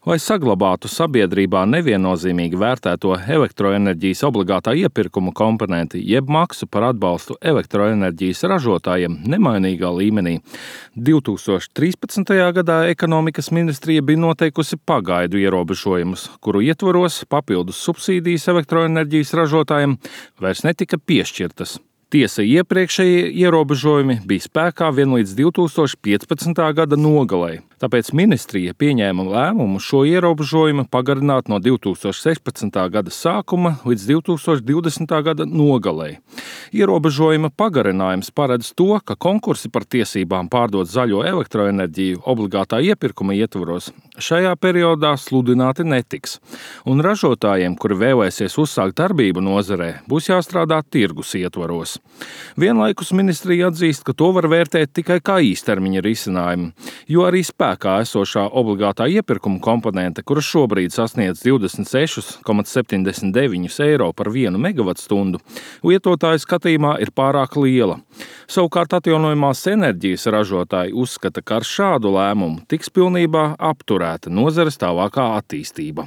Lai saglabātu sabiedrībā neviennozīmīgi vērtēto elektroenerģijas obligātā iepirkuma komponenti, jeb maksu par atbalstu elektroenerģijas ražotājiem nemainīgā līmenī, 2013. gadā ekonomikas ministrija bija noteikusi pagaidu ierobežojumus, kuru ietvaros papildus subsīdijas elektroenerģijas ražotājiem vairs netika piešķirtas. Tiesa, iepriekšējie ierobežojumi bija spēkā vien līdz 2015. gada nogalei, tāpēc ministrija pieņēma lēmumu šo ierobežojumu pagarināt no 2016. gada sākuma līdz 2020. gada nogalei. Ierobežojuma pagarinājums paredz to, ka konkursi par tiesībām pārdot zaļo elektroenerģiju obligātā iepirkuma ietvaros šajā periodā sludināti netiks, un ražotājiem, kuri vēlēsies uzsākt darbību nozarē, būs jāstrādā tirgus ietvaros. Vienlaikus ministrija atzīst, ka to var vērtēt tikai kā īstermiņa risinājumu, jo arī spēkā esošā obligātā iepirkuma komponente, kura šobrīd sasniedz 26,79 eiro par 1 megavatstundu, lietotāju skatījumā ir pārāk liela. Savukārt atjaunojamās enerģijas ražotāji uzskata, ka ar šādu lēmumu tiks pilnībā apturēta nozares tālākā attīstība.